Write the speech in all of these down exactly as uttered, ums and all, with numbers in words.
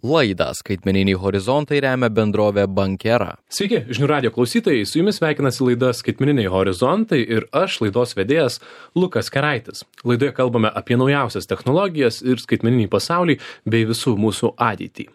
Laidą Skaitmeniniai horizontai remia bendrovė Bankera. Sveiki, žinių radijo klausytojai, su jumis sveikinasi laida Skaitmeniniai horizontai ir aš, laidos vedėjas Lukas Keraitis. Laidoje kalbame apie naujausias technologijas ir skaitmeninį pasaulį bei visų mūsų ateitį.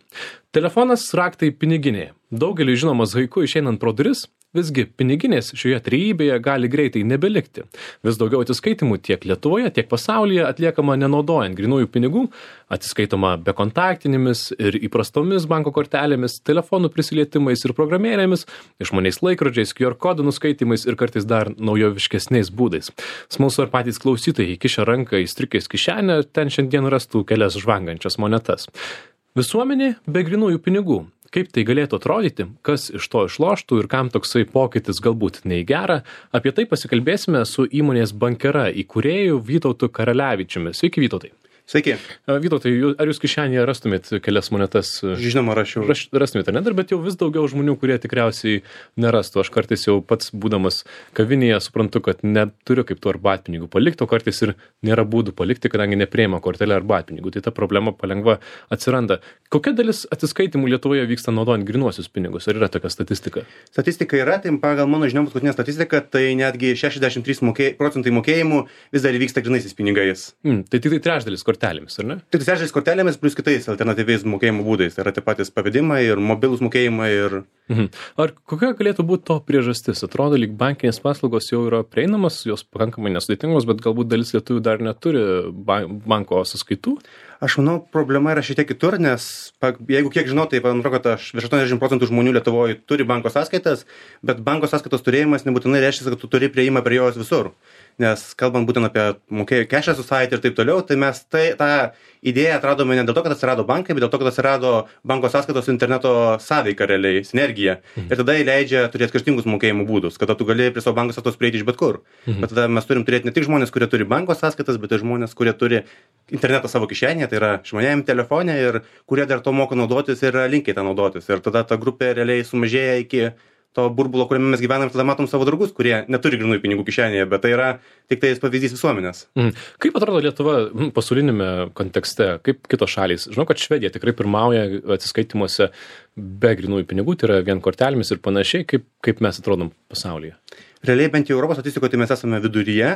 Telefonas raktai piniginėje. Daugeliui žinomas haiku išeinant pro duris, visgi piniginės šioje trejybėje gali greitai nebelikti. Vis daugiau atsiskaitimų tiek Lietuvoje, tiek pasaulyje atliekama nenaudojant grynųjų pinigų, atsiskaitoma bekontaktinėmis ir įprastomis banko kortelėmis, telefonų prisilietimais ir programėlėmis, išmaniais laikrodžiais, Q R kodų nuskaitimais ir kartais dar naujoviškesniais būdais. Smalsu ar patys klausytojai įkišę ranką į striukės kišenę, ten šiandien rastų kelias žvangančias monetas. Visuomenė be grynųjų pinigų. Kaip tai galėtų atrodyti, kas iš to išloštų ir kam toksai pokytis galbūt ne į gerą, apie tai pasikalbėsime su įmonės Bankera įkūrėju Vytautu Karalevičiumi. Sveiki, Vytautai. Sveiki. Vytautai, ar jūs kišenėje rastumėt kelias monetas? Žinoma, rašiau. Raš, rastumėt, ne? Dar, bet jau vis daugiau žmonių, kurie tikriausiai nerastų. Aš kartais jau pats būdamas kavinėje suprantu, kad neturiu kaip tų arbatpinigų palikti, o kartais ir nėra būdų palikti, kadangi nepriima kortelę arbatpinigų. Tai ta problema palengva atsiranda. Kokia dalis atsiskaitimų Lietuvoje vyksta naudojant grynuosius pinigus? Ar yra tokia statistika? Statistika yra, tai pagal mano žinom paskutinė statistika, tai netgi šešiasdešimt trys mokė, procentai mokėjimų vis dar vyksta grynaisiais pinigais. Mm, tai tik tai trečdalis kortelėmis, ar ne? Tik trečdalis kortelėmis plus kitais alternatyviais mokėjimo būdais. Tai yra tie patys pavedimai ir mobilūs mokėjimai. Ir... Mhm. Ar kokia galėtų būti to priežastis? Atrodo, lyg bankinės paslaugos jau yra prieinamas, jos pakankamai nesudėtingos, bet galbūt dalis lietuvių dar neturi banko sąskaitų? Aš manau, problema yra šiek tiek kitur, nes jeigu kiek žinau, tai man atrodo, kad aš virš aštuoniasdešimt procentų žmonių Lietuvoje turi banko sąskaitas, bet banko sąskaitos turėjimas nebūtinai reiškia, kad tu turi prieimą prie jos visur. Nes kalbant būtent apie mokėjų Cashless Society ir taip toliau, tai mes tai, tą idėją atradome ne dėl to, kad atsirado bankai, bet dėl to, kad atsirado banko sąskaitos interneto sąveika realiai, sinergija. Mhm. Ir tada įleidžia turėti skirtingus mokėjimų būdus, kada tu gali prie savo banko sąskaitos prieiti iš bet kur. Mhm. Bet tada mes turim turėti ne tik žmonės, kurie turi banko sąskaitas, bet ir žmonės, kurie turi internetą savo kišenėje, tai yra išmaniajame telefone ir kurie dar to moka naudotis ir linkiai tą naudotis. Ir tada ta grupė realiai sumažėja iki to burbulo, kuriame mes gyvenam, tada matom savo draugus, kurie neturi grynųjų pinigų kišenėje, bet tai yra tik tai pavyzdys visuomenės. Mm. Kaip atrodo Lietuva pasaulinėme kontekste, kaip kitos šalys? Žinau, kad Švedija tikrai pirmauja atsiskaitimuose be grynųjų pinigų, tai yra vien kortelėmis ir panašiai, kaip, kaip mes atrodom pasaulyje. Realiai bent jau Europos statistikoje tai mes esame viduryje,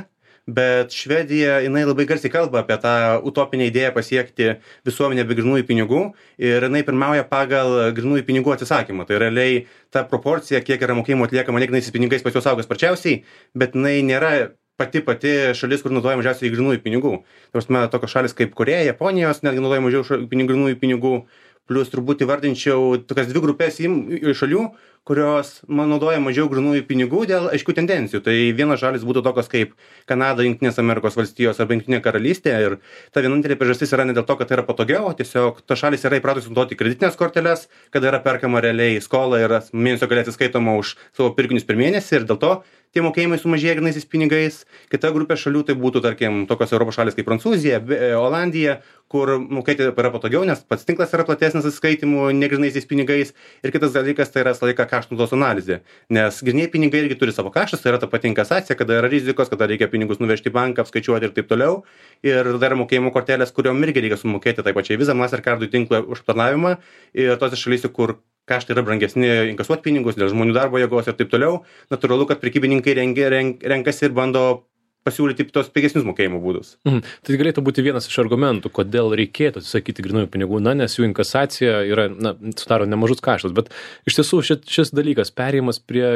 bet Švedija, jinai labai garsiai kalba apie tą utopinę idėją pasiekti visuomenę be grynųjų pinigų ir jinai pirmauja pagal grynųjų pinigų atsisakymą. Tai realiai ta proporcija, kiek yra mokėjimų atliekama negrynaisiais pinigais, pas juos auga sparčiausiai, bet jinai nėra pati pati šalis, kur naudoja mažiausiai grynųjų pinigų. Nors mes tokios šalis kaip Koreja, Japonijos netgi naudoja mažiau grynųjų pinigų, plus turbūt įvardinčiau tokias dvi grupės šalių, kurios man naudoja mažiau grynųjų pinigų dėl aiškių tendencijų. Tai vienas šalis būtų tokios kaip Kanada, Jungtinės Amerikos valstijos arba Jungtinė karalystė. Ir ta vienintelė priežastis yra ne dėl to, kad tai yra patogiau, tiesiog ta šalis yra įpratusi naudoti kreditinės korteles, kada yra perkama realiai skola ir mėnesio gale atsiskaitoma už savo pirkinius per mėnesį ir dėl to tie mokėjimai sumažėja grynaisiais pinigais. Kita grupė šalių tai būtų, tarkim, tokios Europos šalis kaip Prancūzija, Olandija, kur mokėti yra patogiau, nes pats tinklas yra platesnis atsiskaitimų negrynaisiais pinigais. Ir kitas dalykas tai yra visą laiką kaštų naudos analizė. Nes grynieji pinigai irgi turi savo kaštus, tai yra ta pati inkasacija, kada yra rizikos, kada reikia pinigus nuvežti į banką, apskaičiuoti ir taip toliau. Ir tada yra mokėjimo kortelės, kuriuom irgi reikia sumokėti tai pačiai Visa, Mastercard'ų tinklą už aptarnavimą. Ir tose šalyse, kur kaštai yra brangesni inkasuoti pinigus dėl žmonių darbo jėgos ir taip toliau, natūralu, kad prekybininkai rengia, renk, renkasi ir bando pasiūlyti tos pigesnius mokėjimo būdus. Mhm. Tai galėtų būti vienas iš argumentų, kodėl reikėtų atsisakyti grynųjų pinigų, na, nes jų inkasacija yra, na, sudaro nemažus kaštus, bet iš tiesų šit, šis dalykas, perėjimas prie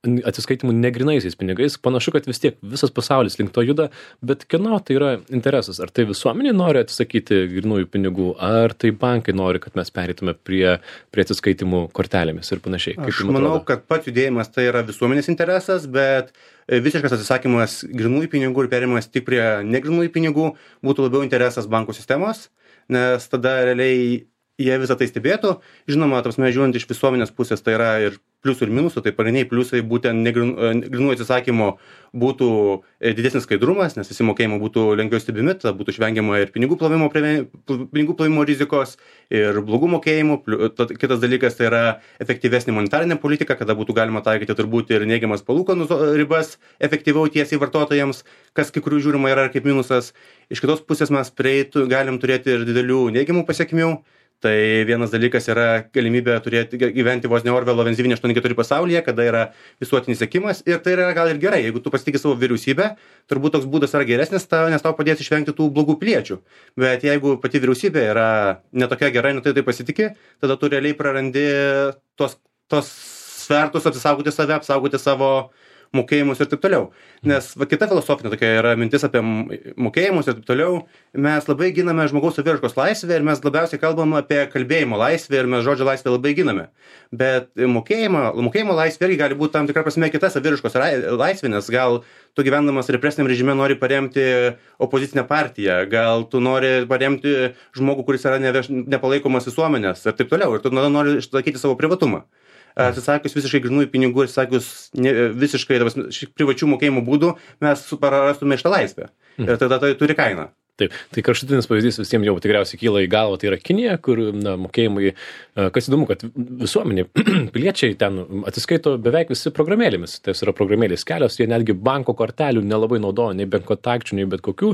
atsiskaitimų negrynaisiais pinigais, panašu, kad vis tiek visas pasaulis link to juda, bet kieno tai yra interesas? Ar tai visuomenė nori atsisakyti grynųjų pinigų, ar tai bankai nori, kad mes pereitume prie, prie atsiskaitimų kortelėmis ir panašiai? Kaip Aš manau, kad pats judėjimas tai yra visuomenės interesas, bet visiškas atsisakymas grynųjų pinigų ir perėjimas tik prie negrynųjų pinigų būtų labiau interesas bankų sistemos, nes tada realiai jie visą tai stebėtų. Žinoma, ta prasme, žiūrint iš visuomenės pusės, tai yra ir pliusų ir minusų, tai pagrindiniai pliusai būtent negrynų atsisakymo būtų didesnis skaidrumas, nes visi mokėjimai būtų lengviau stebimi, tada būtų išvengiama ir pinigų plovimo, pinigų plovimo rizikos, ir blogų mokėjimų. Kitas dalykas tai yra efektyvesnė monetarinė politika, kada būtų galima taikyti turbūt ir neigiamas palūkanų ribas efektyviau tiesiai vartotojams, kas kai kurių žiūrima yra kaip minusas. Iš kitos pusės mes prieitų, galim turėti ir didelių neigiamų pasiekmių. Tai vienas dalykas yra galimybė turėti gyventi vos ne Orvelo vienas devyni aštuoni keturi pasaulyje, kada yra visuotinis sekimas ir tai yra gal ir gerai, jeigu tu pasitikė savo vyriausybę, turbūt toks būdas yra geresnis, tau, nes tau padės išvengti tų blogų piliečių. Bet jeigu pati vyriausybė yra netokia gera, netai tai pasitikė, tada tu realiai prarandi tos, tos svertus apsisaugoti save, apsaugoti savo mokėjimus ir taip toliau. Nes va, kita filosofinė tokia yra mintis apie mokėjimus ir taip toliau. Mes labai giname žmogaus saviraiškos laisvę ir mes labiausiai kalbam apie kalbėjimo laisvę ir mes žodžio laisvę labai giname. Bet mokėjimo, mokėjimo laisvė irgi gali būti tam tikra prasme kita saviraiškos laisvė, nes gal tu gyvendamas represiniam režime nori paremti opozicinę partiją, gal tu nori paremti žmogų, kuris yra neveš, nepalaikomas visuomenės ir taip toliau. Ir tu nori išlaikyti savo privatumą. Atsisakius visiškai grynųjų pinigų ir atsisakius visiškai privačių mokėjimų būdų, mes prarastume šitą laisvę. Ir tada tai turi kainą. Taip, tai kraštutinis pavyzdys visiems jau tikriausiai kyla į galvą, tai yra Kinija, kur na, mokėjimai, kas įdomu, kad visuomenė, piliečiai ten atsiskaito beveik visi programėlėmis, tai yra programėlės kelios, jie netgi banko kortelių nelabai naudoja, nei bent kontakčių, nei bet kokių,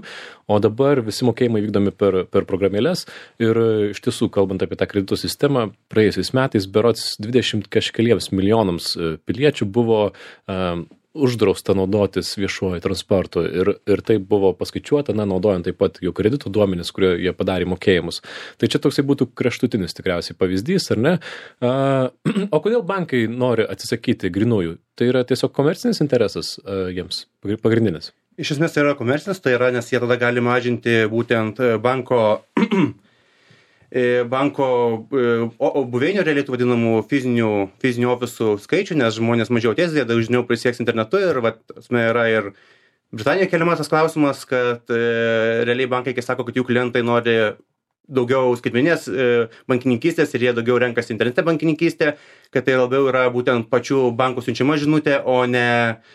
o dabar visi mokėjimai vykdomi per, per programėlės ir iš tiesų, kalbant apie tą kreditų sistemą, praėjusiais metais berods dvidešimt kažkeliems milijonams piliečių buvo uh, uždrausta naudotis viešuoju transportu ir, ir tai buvo paskaičiuota, na, naudojant taip pat jų kreditų duomenis, kurie jie padarė mokėjimus. Tai čia toksai būtų kraštutinis tikriausiai pavyzdys, ar ne? A, o kodėl bankai nori atsisakyti grynųjų? Tai yra tiesiog komercinis interesas a, jiems, pagrindinis? Iš esmės tai yra komercinis, tai yra, nes jie tada gali mažinti būtent banko banko o buveinių realiai tų vadinamų fizinių, fizinių ofisų skaičių, nes žmonės mažiau ties, jie dažniau prisieks internetu ir vat, yra ir Britanijoje keliamas tas klausimas, kad e, realiai bankai, kai sako, kad jų klientai nori daugiau skaitmeninės e, bankininkystės ir jie daugiau renkasi internete bankininkystę, kad tai labiau yra būtent pačių bankų siunčiama žinutė, o ne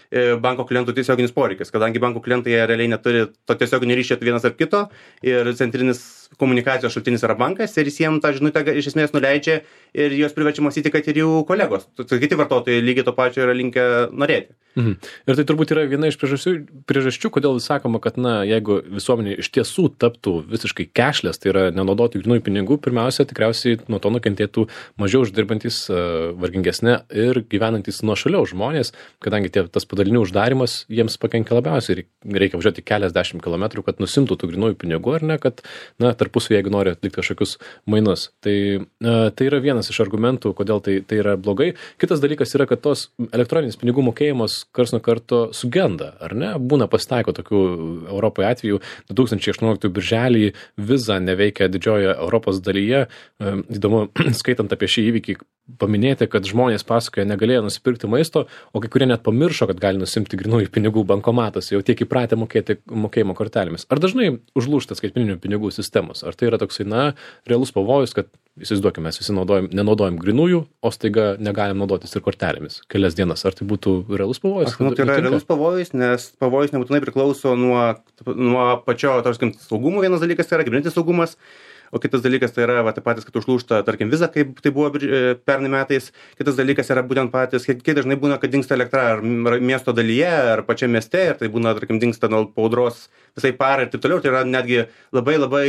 e, banko klientų tiesioginis poreikis, kadangi bankų klientai realiai neturi to tiesioginio ryšio vienas ar kito ir centrinis komunikacijos šaltinis yra bankas ir jis jiems tą žinutę iš esmės nuleidžia ir juos priverčia mąstyti, kad ir jų kolegos, kiti vartotojai lygiai to pačio yra linkę norėti. Mhm. Ir tai turbūt yra viena iš priežasčių, priežasčių, kodėl sakoma, kad na, jeigu visuomenė iš tiesų taptų visiškai cashless, tai yra nenaudoti grynųjų pinigų, pirmiausia, tikriausiai nuo to nukentėtų mažiau uždirbantis, vargingesnė ir gyvenantis nuošaliau žmonės, kadangi tie, tas padalinių uždarimas jiems pakenkia labiausiai ir reikia važiuoti keliasdešimt kilometrų, kad nusimtų tų grynųjų pinigų, ar ne, kad na, tarpusavy, jeigu nori atlikti kažkokius mainus. Tai, tai yra vienas iš argumentų, kodėl tai, tai yra blogai. Kitas dalykas yra, kad tos elektroninis pinigų mokėjimas kars nuo karto sugenda, ar ne? Būna pasitaiko tokių Europoje atvejų. du tūkstančiai aštuonioliktųjų birželį Visa neveikia didžiojoje Europos dalyje. Įdomu, skaitant apie šį įvykį, paminėti, kad žmonės pasakoja negalėjo nusipirkti maisto, o kai kurie net pamiršo, kad gali nusimti grynųjų pinigų bankomatuose, jau tiek įpratę mokėti mokėjimo kortelėmis. Ar dažnai užlūžta skaitmeninių pinigų sistemos? Ar tai yra toksai, na, realus pavojus, kad, įsivaizduokime, mes visi naudojam, nenaudojam grynųjų, o staiga negalim naudotis ir kortelėmis kelias dienas? Ar tai būtų realus pavojus? Aš manau, tai yra realus pavojus, nes pavojus nebūtinai priklauso nuo, nuo pačio, tarkim, saugumo. Vienas dalykas tai yra kibernetinis saugumas, o kitas dalykas tai yra va, tai patys, kad užlūžta, tarkim, Visa, kaip tai buvo pernai metais. Kitas dalykas yra būtent patys, kiek, kiek dažnai būna, kad dingsta elektra ar miesto dalyje, ar pačiame mieste, ir tai būna, tarkim, dingsta nuo audros visai parai ir taip toliau. Tai yra netgi labai labai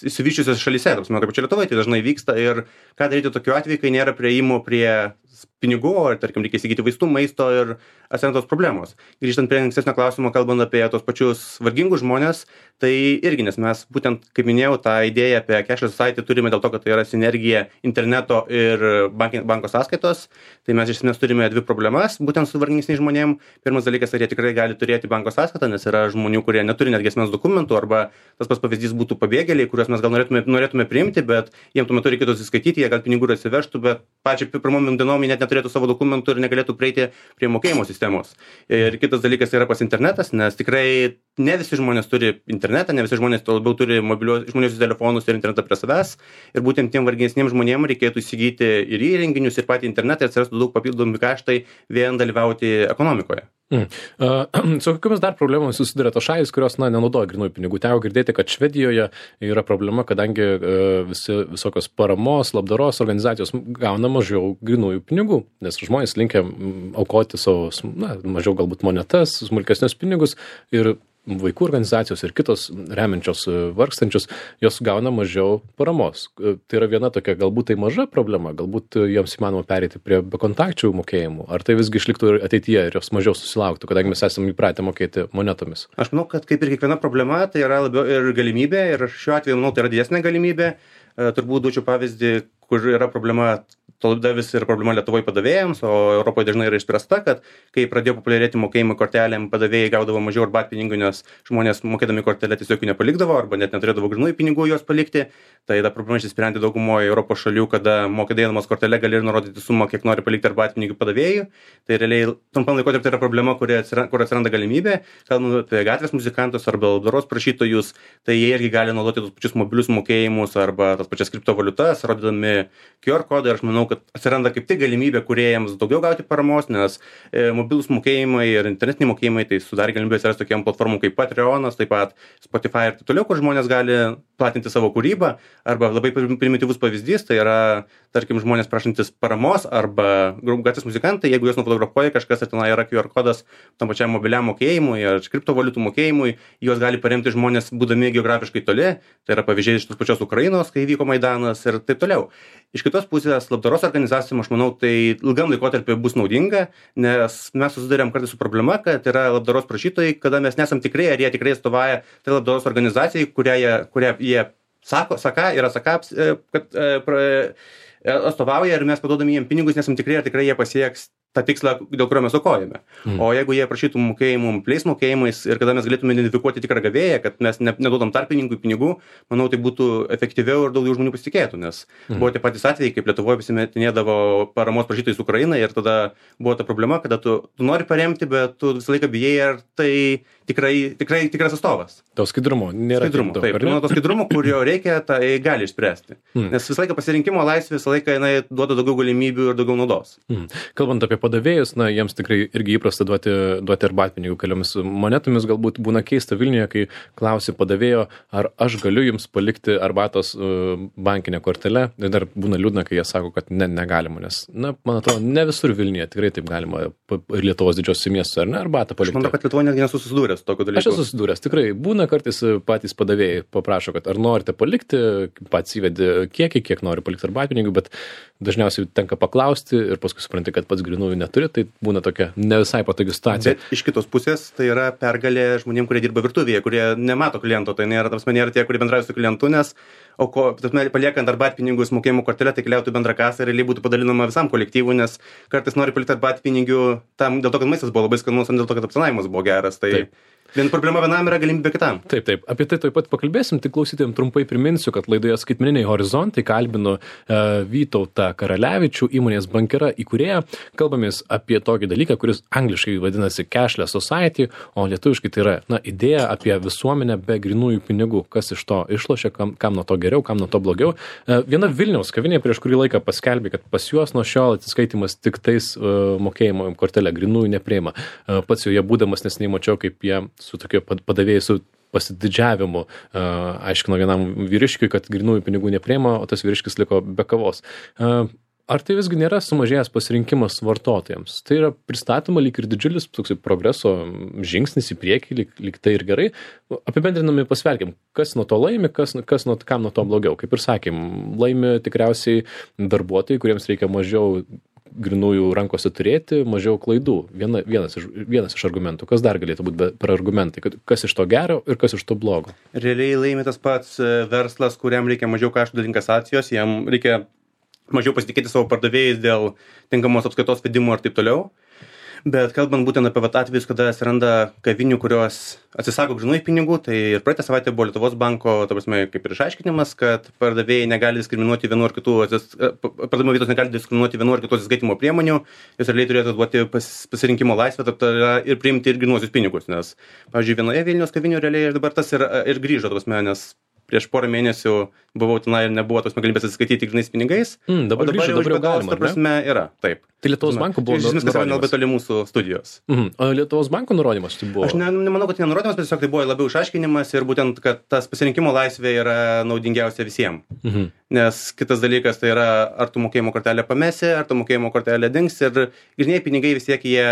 įsivyščiusios šalyse, taip sakant, kaip čia Lietuvoje, tai dažnai vyksta. Ir ką daryti tokiu atveju, kai nėra prieimo prie pinigų, ar, tarkim, reikia įsigyti vaistų, maisto ir atsiranda tos problemos. Grįžtant prie ankstesnio klausimo, kalbant apie tos pačius vargingus žmonės, tai irgi, nes mes būtent, kaip minėjau, tą idėją apie cashless society turime dėl to, kad tai yra sinergija interneto ir bank, banko sąskaitos. Tai mes iš esmės turime dvi problemas, būtent su vargingesniais žmonėm. Pirmas dalykas, ar jie tikrai gali turėti banko sąskaitą, nes yra žmonių, kurie neturi netgi asmens dokumentų, arba tas pats pavyzdys būtų pabėgėliai, kuriuos mes gal norėtume, norėtume priimti, bet jiems tuo metu reikėtų atsiskaityti, jie gal pinigų atsivežtų, bet pačią pirmom dienom jie net neturėtų savo dokumentų ir negalėtų prieiti prie mokėjimo sistemos. Ir kitas dalykas yra pas internetas, nes tikrai ne visi žmonės turi internetą, ne visi žmonės to labiau turi mobilios išmaniuosius telefonus ir internetą prie savęs. Ir būtent tiem vargingesniems žmonėms reikėtų įsigyti ir įrenginius, ir patį internetą, ir atsirastų daug papildomų kaštai vien dalyvauti ekonomikoje. Mm. Uh, su kokiamis dar problemomis susiduria tos šalys, kurios na, nenaudoja grynųjų pinigų? Teko girdėti, kad Švedijoje yra problema, kadangi uh, visi, visokios paramos, labdaros organizacijos gauna mažiau grynųjų pinigų, nes žmonės linkia aukoti savo, na, mažiau galbūt monetas, smulkesnius pinigus ir vaikų organizacijos ir kitos remiančios vargstančius, jos gauna mažiau paramos. Tai yra viena tokia, galbūt tai maža problema, galbūt joms įmanoma pereiti prie bekontakčių mokėjimų, ar tai visgi išliktų ir ateityje ir jos mažiau susilauktų, kadangi mes esame įpratę mokėti monetomis. Aš manau, kad kaip ir kiekviena problema, tai yra labiau ir galimybė, ir šiuo atveju, manau, tai yra didesnė galimybė. Turbūt duočiau pavyzdį, kur yra problema, tada vis ir problema Lietuvoje padavėjams, o Europoje dažnai yra išspręsta, kad kai pradėjo populiarėti mokėjimai kortelėm, padavėjai gaudavo mažiau arbatpinigių, nes žmonės mokėdami kortelę tiesiog jų nepalikdavo arba net neturėdavo grynųjų pinigų juos palikti. Tai ta problema išsprendė daugumoje Europos šalių, kada mokėdamas kortelę gali ir nurodyti sumą, kiek nori palikti arbatpinigių padavėjų. Tai realiai trumpam laikotarpiu tai yra problema, kur atsiranda, kur atsiranda galimybė. Kalbant apie gatvės muzikantus arba labdaros prašytojus, tai jie irgi gali naudoti tos pačius mobilius mokėjimus arba tas pačias kriptovaliutas, rodydami Q R kodą. Ir aš manau, kad atsiranda kaip tik galimybė kūrėjams daugiau gauti paramos, nes e, mobilūs mokėjimai ir internetiniai mokėjimai tai sudarė galimybę atsirasti tokiam platformom kaip Patreonas, taip pat Spotify ir taip toliau, kur žmonės gali platinti savo kūrybą. Arba labai primityvus pavyzdys, tai yra, tarkim, žmonės prašantis paramos arba gatvės muzikantai, jeigu juos nufotografuoja kažkas ir ten yra Q R kodas tam pačiam mobiliam mokėjimui ar kriptovaliutų mokėjimui, juos gali paremti žmonės būdami geografiškai toli. Tai yra pavyzdžiai iš tos pačios Ukrainos, kai vyko Maidanas ir taip toliau. Iš kitos pusės, labdaros organizacijom, aš manau, tai ilgam laikotarpiu bus naudinga, nes mes susidurėm kartais su problema, kad yra labdaros prašytojai, kada mes nesam tikrai, ar jie tikrai atstovauja tai labdaros organizacijai, kurią jie, kurią jie sako, saka, yra sakaps, kad atstovauja ir mes paduodami jiem pinigus, nesam tikrai, ar tikrai jie pasieks tą tikslą, dėl kurio mes aukojame. Mm. O jeigu jie prašytų mokėjimų mobiliais mokėjimais ir kada mes galėtume identifikuoti tikrą gavėją, kad mes ne, neduodam tarpininkui pinigų, manau, tai būtų efektyviau ir daugiau žmonių pasitikėtų, nes mm. buvo tie patys atvejai, kaip Lietuvoje pasimetinėdavo paramos prašytojais Ukrainai ir tada buvo ta problema, kada tu, tu nori paremti, bet tu visą laiką bijai, ar tai tikrai, tikrai tikras atstovas. To skaidrumo nėra. Skaidrumo, daug, taip. Manau, to skaidrumo, kurio reikia, tai gali išspręsti. Mm. Nes visą laiką pasirinkimo laisvė visą laiką jinai duoda daugiau galimybių ir daugiau naudos. Mm. Kalbant apie padavėjus, na, jiems tikrai irgi įprasta duoti, duoti arbatpinigių keliomis monetomis, galbūt būna keista Vilniuje, kai klausi padavėjo, ar aš galiu jums palikti arbatos uh, bankinę kortelę, ir dar būna liūdna, kai jie sako, kad ne, negalima, nes, na, man atrodo, ne visur Vilniuje tikrai taip galima ir Lietuvos didžiosios miestų, ar ne, arbatą palikti. Aš manau, kad Lietuvoje netgi nesu susidūręs tokio dalyko. Aš esu susidūręs, tikrai, būna kartais patys padavėjai paprašo, kad ar norite palikti, pats įvedi kiekį, kiek nori palikti arbatpinigių, bet dažniausiai tenka paklausti ir paskui supranti, kad pats grynųjų neturi, tai būna tokia ne visai patogi situacija. Bet iš kitos pusės tai yra pergalė žmonėm, kurie dirba virtuvėje, kurie nemato kliento, tai nėra, tas nėra tie, kurie bendrauja su klientu, nes o ko, tasme, paliekant arbatpinigus mokėjimo kortelę, tai keliautų bendrą kasą ir realiai būtų padalinama visam kolektyvui, nes kartais nori palikti arbatpinigių tam dėl to, kad maistas buvo labai skanus, o dėl to, kad aptarnavimas buvo geras. Tai taip. Viena problema vienam yra galimybė kitam. Taip, taip. Apie tai taip pat pakalbėsim, tik klausytojams trumpai priminsiu, kad laidoje Skaitmeniniai horizontai kalbinu e, Vytautą Karalevičių, įmonės Bankera įkūrėją. Kalbamės apie tokį dalyką, kuris angliškai vadinasi Cashless Society, o lietuviškai tai yra, na, idėja apie visuomenę be grynųjų pinigų. Kas iš to išlošia, kam, kam nuo to geriau, kam nuo to blogiau. E, viena Vilniaus kavinė prieš kurį laiką paskelbė, kad pas juos nuo šiol atsiskaitimas tik tais e, mokėjimo kortelė grynųjų nepriima. E, pats jau jie būdamas neseniai mačiau, kaip jie su tokiu padavėjai su pasididžiavimu uh, aiškino vienam vyriškiui, kad grynųjų pinigų nepriima, o tas vyriškis liko be kavos. Uh, ar tai visgi nėra sumažėjęs pasirinkimas vartotojams? Tai yra pristatoma lyg ir didžiulis toksai progreso žingsnis į priekį, lyg, lyg tai ir gerai. Apibendrinami pasverkim, kas nuo to laimi, kas, kas nuo, kam nuo to blogiau. Kaip ir sakėm, laimi tikriausiai darbuotojai, kuriems reikia mažiau grynųjų rankose turėti, mažiau klaidų. Viena, vienas, iš, vienas iš argumentų. Kas dar galėtų būti per argumentai? Kas iš to gero ir kas iš to blogo? Realiai laimi tas pats verslas, kuriam reikia mažiau kaštų dėl inkasacijos, jam reikia mažiau pasitikėti savo pardavėjais dėl tinkamos apskaitos vedimo ir taip toliau. Bet kalbant būtent apie vat atvejus, kada atsiranda kavinių, kurios atsisako grynųjų pinigų, tai ir praeitą savaitę buvo Lietuvos banko, ta prasme, kaip ir išaiškinimas, kad pardavėjai negali diskriminuoti vienu ar kitų, pardavimo vietos negali diskriminuoti vienu ar kitų atsiskaitimo priemonių, jos realiai turėtų duoti pas, pasirinkimo laisvę ir priimti ir grynuosius pinigus, nes, pavyzdžiui, vienoje Vilniaus kavinių realiai dabar tas ir, ir grįžo, ta prasme, nes prieš porą mėnesių buvau tenai ir nebuvo tos galimybės atsiskaityti grynais pinigais. Mm, dabar, o dabar grįžo, jau dabar jau galima, ta prasme, yra, taip. Tai Lietuvos banko buvo nurodymas. Viskas yra labai toli mūsų studijos. Mhm. O Lietuvos banko nurodymas tai buvo? Aš ne, nemanau, kad tai nenurodymas, bet tiesiog tai buvo labiau išaiškinimas ir būtent, kad tas pasirinkimo laisvė yra naudingiausia visiems. Mhm. Nes kitas dalykas tai yra, ar tu mokėjimo kortelę pamesi, ar tu mokėjimo kortelę dings ir grynieji pinigai vis tiek jie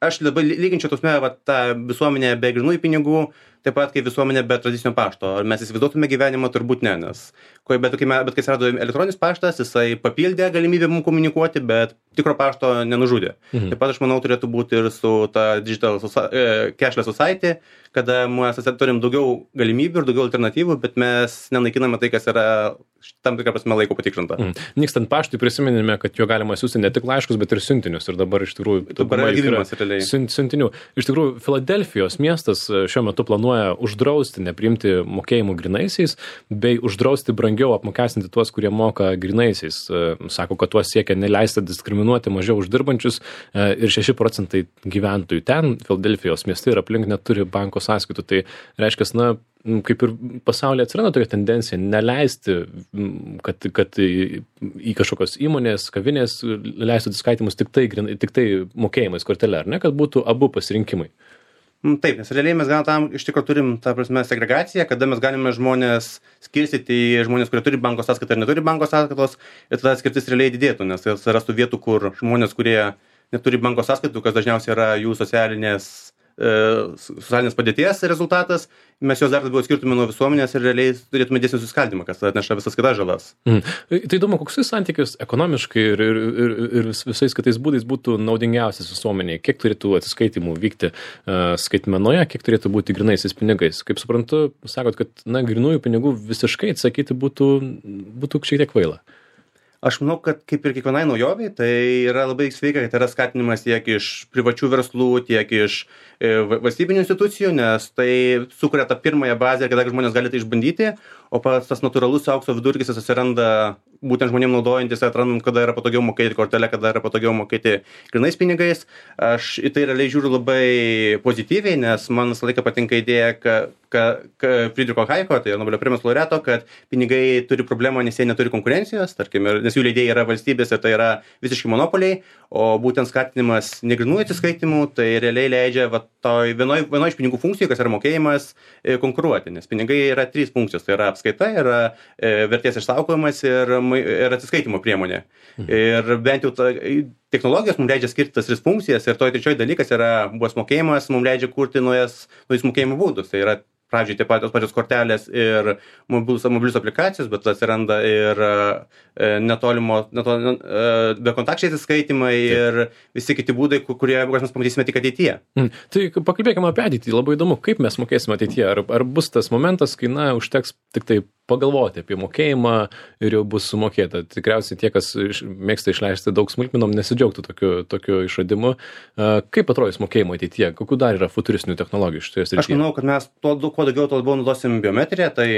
aš labai lyginčiau tos va, tą visuomenę be grynųjų pinigų, taip pat kaip visuomenė be tradicinio pašto. Ar mes įsivaizduotume gyvenimą, turbūt ne, nes bet, bet, bet kai atsirado elektroninis paštas, jisai papildė galimybę mums komunikuoti, bet tikro pašto nenužudė. Mhm. Taip pat aš manau turėtų būti ir su ta Digital Cashless Society, kada mes turim daugiau galimybių ir daugiau alternatyvų, bet mes nenaikiname tai, kas yra tam tikrą prasme laiko patikrinta. Mm. Nykstant paštui prisiminėme, kad jo galima siūsti ne tik laiškus, bet ir siuntinius. Ir dabar iš tikrųjų dabar gyvenimas realiai. Siuntinių. Iš tikrųjų, Filadelfijos miestas šiuo metu planuoja uždrausti, nepriimti mokėjimų grynaisiais, bei uždrausti brangiau apmokestinti tuos, kurie moka grynaisiais. Sako, kad tuos siekia neleisti diskriminuoti mažiau uždirbančius ir šeši procentai gyventojų ten, Filadelfijos mieste ir aplink neturi banko sąskaitų. Tai reiškia, na, kaip ir pasaulyje atsiranda tokia tendencija neleisti, kad, kad į kažkokios įmonės, kavinės leistų atsiskaitimus tik tai, tik tai mokėjimais kortelė, ar ne, kad būtų abu pasirinkimai. Taip, nes realiai mes gal tam iš tikrųjų turim tą prasme segregaciją, kada mes galime žmonės skirstyti į žmonės, kurie turi banko sąskaitą ir neturi banko sąskaitos, ir tada skirtis realiai didėtų, nes atsirastų vietų, kur žmonės, kurie neturi banko sąskaitų, kas dažniausiai yra jų socialinės socialinės padėties rezultatas, mes jos dar labiau skirtume nuo visuomenės ir realiai turėtume dėsnį suskaldymą, kas atneša visas kitas žalas. Mm. Tai įdomu, koks santykis ekonomiškai ir, ir, ir, ir visais kitais būdais būtų naudingiausias visuomeniai, kiek turėtų atsiskaitimų vykti uh, skaitmenoje, kiek turėtų būti grynaisiais pinigais. Kaip suprantu, sakot, kad na, grynųjų pinigų visiškai atsakyti būtų, būtų šiek tiek kvaila. Aš manau, kad kaip ir kiekvienai naujovei, tai yra labai sveika, kad yra skatinimas tiek iš privačių verslų, tiek iš e, valstybinių institucijų, nes tai sukuria tą pirmąją bazę, kada žmonės gali tai išbandyti, o pats tas natūralus aukso vidurkis atsiranda būtent žmonėm naudojantis, atrandant, kada yra patogiau mokėti kortelę, kada yra patogiau mokėti grynais pinigais. Aš į tai realiai žiūriu labai pozityviai, nes man visą laiką patinka idėja, kad ka, ka Friedricho Hayeko, tai Nobelio premijos laureato, kad pinigai turi problemą, nes jie neturi konkurencijos, tarkim, nes jų leidėjai yra valstybės ir tai yra visiškai monopoliai, o būtent skatinimas negrynųjų atsiskaitimų, tai realiai leidžia va, toj vienoj, vienoj iš pinigų funkcijų, kas yra mokėjimas, e, konkuruoti, nes pinigai yra trys funkcijos, tai yra apskaita, yra e, vertės išsaugojimas ir, ir atsiskaitimo priemonė. Mhm. Ir bent jau ta, technologijos mums leidžia skirti tas tris funkcijas ir toj trečioji dalykas yra buvęs mokėjimas, mums leidžia kurti naujas, naujus mokėjimo būdus. Tai yra pradžiai taip pat tos pačios kortelės ir mobilius, mobilius aplikacijos, bet atsiranda ir e, netolimo, netolimo e, bekontakčiai atsiskaitimai ir visi kiti būdai, kurie mes pamatysime tik ateityje. Mm. Tai pakalbėkime apie ateitį. Labai įdomu, kaip mes mokėsime ateityje. Ar, ar bus tas momentas, kai na, užteks tik tai pagalvoti apie mokėjimą ir jau bus sumokėta. Tikriausiai tie, kas iš, mėgsta išleisti daug smulkmenom, nesidžiaugtų tokiu, tokiu išradimu. Uh, kaip atrodys mokėjimo ateityje? Kokių dar yra futuristinių technologijų šitoje srityje? Aš manau, kad mes to, kuo daugiau, to labiau naudosim biometriją, tai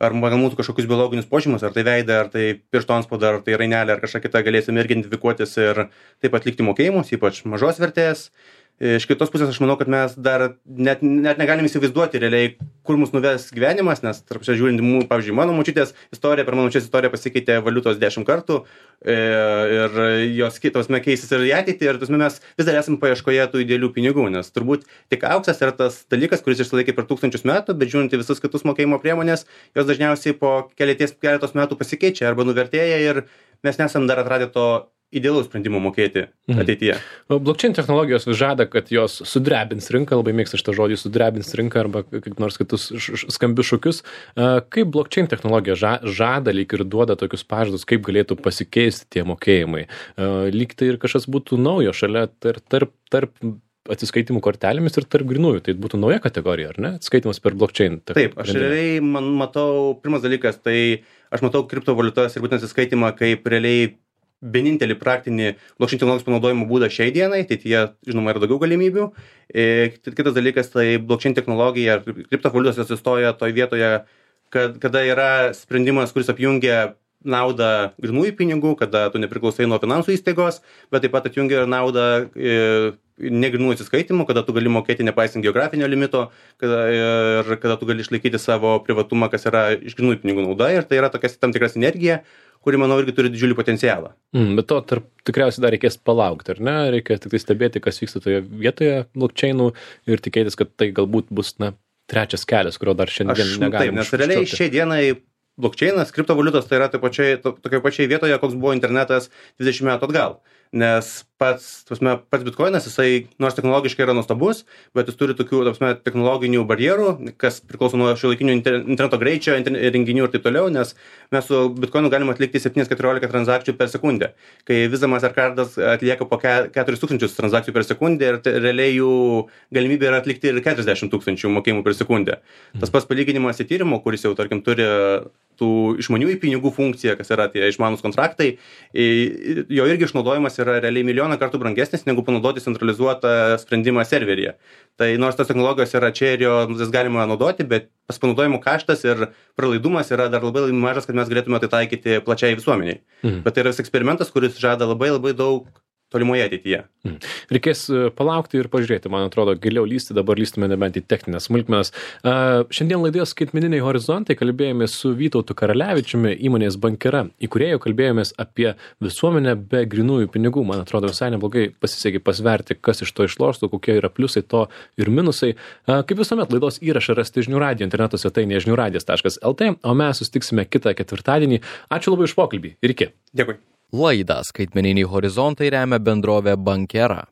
ar mūsų kažkokius biologinius požymus, ar tai veidą, ar tai piršto antspaudą, ar tai rainelę, ar kažką kitą galėsim irgi identifikuotis ir taip atlikti mokėjimus, ypač mažos vertės. Iš kitos pusės aš manau, kad mes dar net, net negalim įsivaizduoti realiai, kur mus nuves gyvenimas, nes tarp čia žiūrint, pavyzdžiui, mano močiutės istorija, per mano močiutės istoriją pasikeitė valiutos dešimt kartų ir jos kitos keisis ir į ateitį ir mes vis dar esame paieškoje tų idealių pinigų, nes turbūt tik auksas yra tas dalykas, kuris išsilaikė per tūkstančius metų, bet žiūrint į visus kitus mokėjimo priemonės, jos dažniausiai po keleties, keletos metų pasikeičia arba nuvertėja ir mes nesam dar atradę to idealaus sprendimo mokėti ateityje. Mhm. Blockchain technologijos vis žada, kad jos sudrebins rinką, labai mėgsta šitą žodį sudrebins rinką arba kaip nors kitus skambius šūkius. Kaip blockchain technologija žada lyg ir duoda tokius pažadus, kaip galėtų pasikeisti tie mokėjimai? Lyg tai ir kažkas būtų naujo šalia tarp, tarp, tarp atsiskaitimų kortelėmis ir tarp grynųjų. Tai būtų nauja kategorija, ar ne? Atsiskaitimas per blockchain. Taip, aš realiai man matau, pirmas dalykas, tai aš matau kriptovaliutas ir būtent atsiskaitimą kaip realiai vienintelį praktinį blockchain technologijos panaudojimo būdą šiai dienai, tai tie, žinoma, yra daugiau galimybių. E, kitas dalykas, tai blockchain technologija ir kriptovaliutos atsistoja toj vietoje, kad, kada yra sprendimas, kuris apjungia naudą grynųjų pinigų, kada tu nepriklausai nuo finansų įstaigos, bet taip pat atjungia ir naudą e, negrynųjų atsiskaitimų, kada tu gali mokėti nepaisant geografinio limito, kada, ir kada tu gali išlaikyti savo privatumą, kas yra iš grynųjų pinigų nauda, ir tai yra tokia tam tikra sinergija, kuri, manau, irgi turi didžiulį potencialą. Mm, bet to tarp, tikriausiai dar reikės palaukti, ar ne? Reikia tik tai stebėti, kas vyksta toje vietoje blockchainų ir tikėtis, kad tai galbūt bus, na, trečias kelias, kurio dar šiandien Aš, negalime. Taip, nes realiai šiai dienai blockchainas, kriptovaliutos, tai yra taip pačiai, to, tokioje pačiai vietoje, koks buvo internetas dvidešimt metų atgal. nes pats, prasme, pats bitkoinas, jisai nors technologiškai yra nuostabus, bet jis turi tokių, prasme, technologinių barjerų, kas priklauso nuo šiuolaikinių interneto greičio, renginių ir taip toliau, nes mes su bitkoinu galime atlikti septyni keturiolika transakcijų per sekundę, kai Visa Mastercardas atlieka po keturis tūkstančius transakcijų per sekundę ir realiai jų galimybė yra atlikti ir keturiasdešimt tūkstančių mokėjimų per sekundę. Tas pats palyginimas į tyrimo, kuris jau, tarkim, turi tų išmaniųjų pinigų funkciją, kas yra tie išmanūs kontraktai, jo irgi išnaudojimas yra realiai milijoną kartų brangesnis negu panaudoti centralizuotą sprendimą serveryje. Tai nors tos technologijos yra čia ir jo jas galima naudoti, bet pas panaudojimo kaštas ir pralaidumas yra dar labai, labai mažas, kad mes galėtume tai taikyti plačiai visuomeniai. Mhm. Bet tai yra eksperimentas, kuris žada labai labai daug tolimoje ateityje. Hmm. Reikės palaukti ir pažiūrėti, man atrodo, giliau lysti, dabar lystume nebent į techninės smulkmenas. Uh, šiandien laidoje Skaitmeniniai horizontai kalbėjomės su Vytautu Karalevičiumi, įmonės Bankera įkūrėju, kalbėjomės apie visuomenę be grynųjų pinigų. Man atrodo, visai neblogai pasisekė pasverti, kas iš to išloštų, kokie yra pliusai to ir minusai. Uh, kaip visuomet, laidos įrašą rasti žinių radijo interneto svetainėje žinių radijas taškas lt, o mes susitiksime kitą ketvirtadienį. Ačiū labai už pokalbį ir iki. Dėkui. Laidą Skaitmeniniai horizontai remia bendrovė Bankera.